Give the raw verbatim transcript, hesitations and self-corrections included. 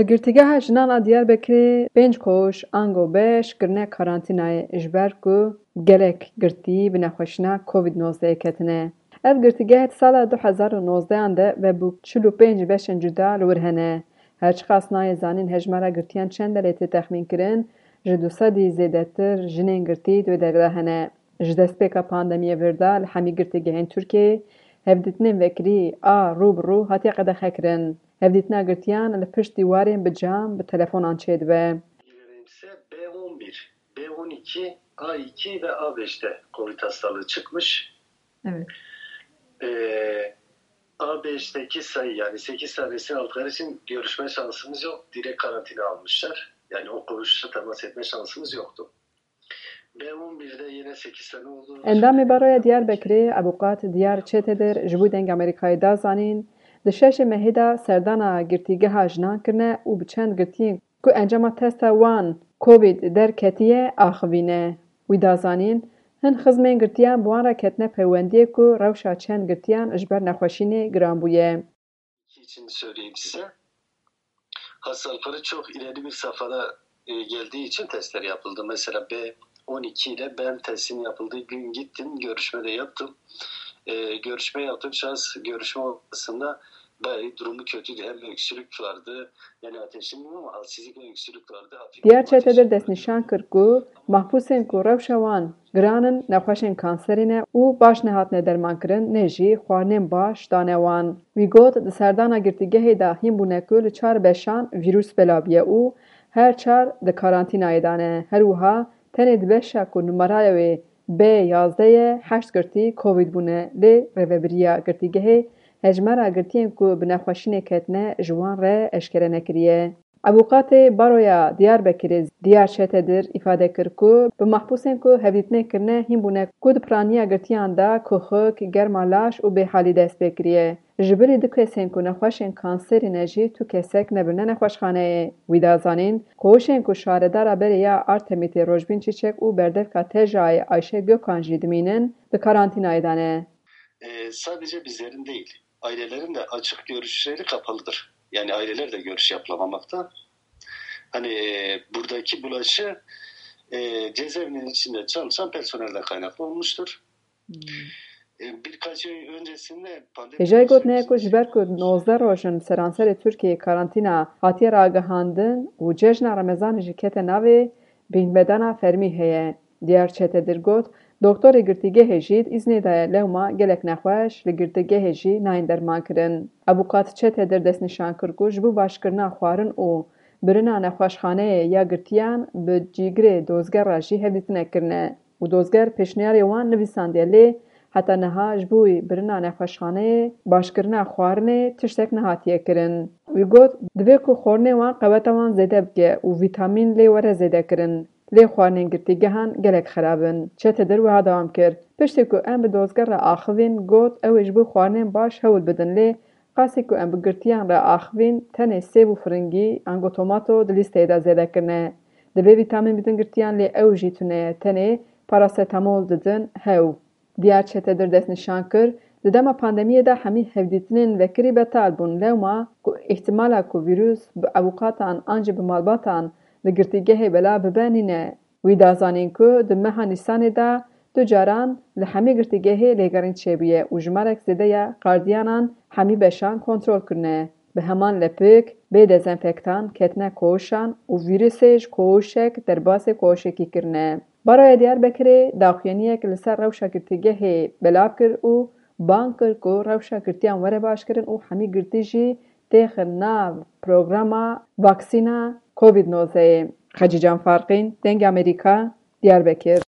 Li Girtîgeha Jinan a Diyarbekirê pênc koğuş ango beş kirine karantînayê, ji ber ku gelek girtî bi nexweşîna Covid nozdeh ketine. Ev girtîgeh di sala du hezar û nozdeh an de vebû, çil û pênc beşên cuda li wir hene. Her çiqas nayê zanîn hejmara girtiyan çend e, lê tê texmîn kirin ji du sedî zêdetir jinên girtî di wê derê de hene. Ji destpêka pandemiyê vir de li hemî girtîgehên Tirkiyeyê hevdîtinên vekirî a rû bi rû hatiye qedexekirin. Hevdîtina girtiyan li pişt dîwarên bi cam bi telefonan çêdibe. Ise B on bir, B on iki, A iki ve A beşte Covid hastalığı çıkmış. Evet. Ee, A beşteki sayı, yani sekiz tanesinin aldıkları için görüşme şansımız yok. Direkt karantina almışlar. Yani o koğuşla temas etme şansımız yoktu. B on birde yine sekiz tane oldu. Endamê Baroya Diyarbekirê Ebûqat Diyar Çetedir ji bo Dengê Amerîkayê da zanîn, di şeşê mehê de serdana girtîgeha jinan kirine û bi çend girtiyên ku encama testa wan Covid derketiye axivîne. Wî da zanîn, hin xizmên girtiyan bi wan re ketine peywendiyê ku rewşa çend girtiyan ji ber nexweşînê giran bûye. İki için söyleyeyim size. Hastalıkları çok ileri bir safhada e, geldiği için testler yapıldı. Mesela B on iki ile ben testin yapıldığı gün gittim, görüşme de yaptım. E, görüşme yaptım. Şahıs görüşme odasında bayağı durumu kötüydü. Hem öksürük vardı, yani ateşim ama halsizlik ve öksürük vardı. Hafif Diyar bir ateşim Çetedir vardı. Destnîşan kir ku mahbûsên ku rewşa wan giran in, nexweşên kanserî ne û baş nehatine dermankirin, ne jî xwarinên baş dane wan. Wî got, di serdana girtîgehê de hîn bûne ku li çar beşan vîrus belav bûye û her çar di karantînayê de ne. Her wiha tenê di beşa ku numaraya wê B yazdeh ye, heşt girtî Covid bûne, lê rêvebiriya girtîgehê hejmara girtiyên ku bi nexweşînê ketine ji wan re eşkere nekiriye. Avûkatê Baroya Diyarbekirê Diyar Çetedir îfade kir ku bi mahbûsên ku hevdîtinê kirine hîn bûne ku di piraniya girtiyan de kuxik, germa laş û bêhalî dest pê kiriye. Ji bilî du kesên ku nexweşên kanserî ne jî tu kesek nebirine nexweşxaneyê. Wî da zanîn, koğuşên ku şaredara berê ya Artemitê Rojbîn Çîçek û berdevka Tejayê Ayşe Gökhan jî dimînin, di karantînayê de ne. E, sadece bizlerin değil, ailelerin de açık görüşleri kapalıdır. Yani aileler de görüş yapılamamakta. Hani e, buradaki bulaşı e, cezaevinin içinde çalışan personelden kaynaklı olmuştur. Hmm. E, birkaç ay öncesinde pandemi Hêjayî got, ne ku ji ber ku nozdeh roj in seranserê Tirkiyeyê karantîna hatiye ragihandin û cejna Remezanê jî kete navê, bînbedana fermî heye. Diyar Çetedir got, doktorê girtîgehê jî di îznê de ye, lewma gelek nexweş li girtîgehê jî nayên dermankirin. Avûkat Çetedir destnîşan kir ku ji bo başkirina xwarin û birina nexweşxaneyê ya girtiyan bi cîgirê dozger re jî hevdîtinek kirine û dozger pêşniyarê wan nivîsandiye, lê heta niha ji bo birina nexweşxaneyê, başkirina xwarinê tiştek nehatiye kirin. Wî got, divê ku xwarinê wan qeweta wan zêde bike û vîtamîn lê were zêde kirin. Lê xwarinên girtîgehan gelek xerab in. Çetedir wiha dewam kir, piştî ku em bi dozger re axivîn, got, ew ê ji bo xwarinên baş hewl bidin, lê qasî ku em bi girtiyan re axivîn, tenê sêv û firingî, ango tomato di lîsteyê de zêde kirine. Divê vîtamîn bidin girtiyan, lê ew jî tune ye, tenê parasetamol didin hew. Diyar Çetedir destnîşan kir, di dema pandemiyê de hemî hevdîtinên vekirî betal bûn, lewma ku îhtimala ku vîrus bi avûkatan an jî bi malbatan li girtîgehê belav bibe nîne. Wî da zanîn ku di meha Nîsanê de du caran li hemî girtîgehê lêgerîn çêbûye û jimarek zêde ya gardiyanan hemî beşan kontrol kirine. Bi heman lepik, bê dezenfektan ketine koğuşan û vîrusê ji koğuşek derbasê koğuşekî kirine. Baroya Diyarbekirê daxuyaniyek li ser rewşa girtîgehê belav kir û bang kir ku rewşa girtiyan were başkirin û hemî girtî jî têxin nav programa vaksîna Covid nozdehê. Xecîcan Farqîn, Dengê Amerîka, Diyarbekir.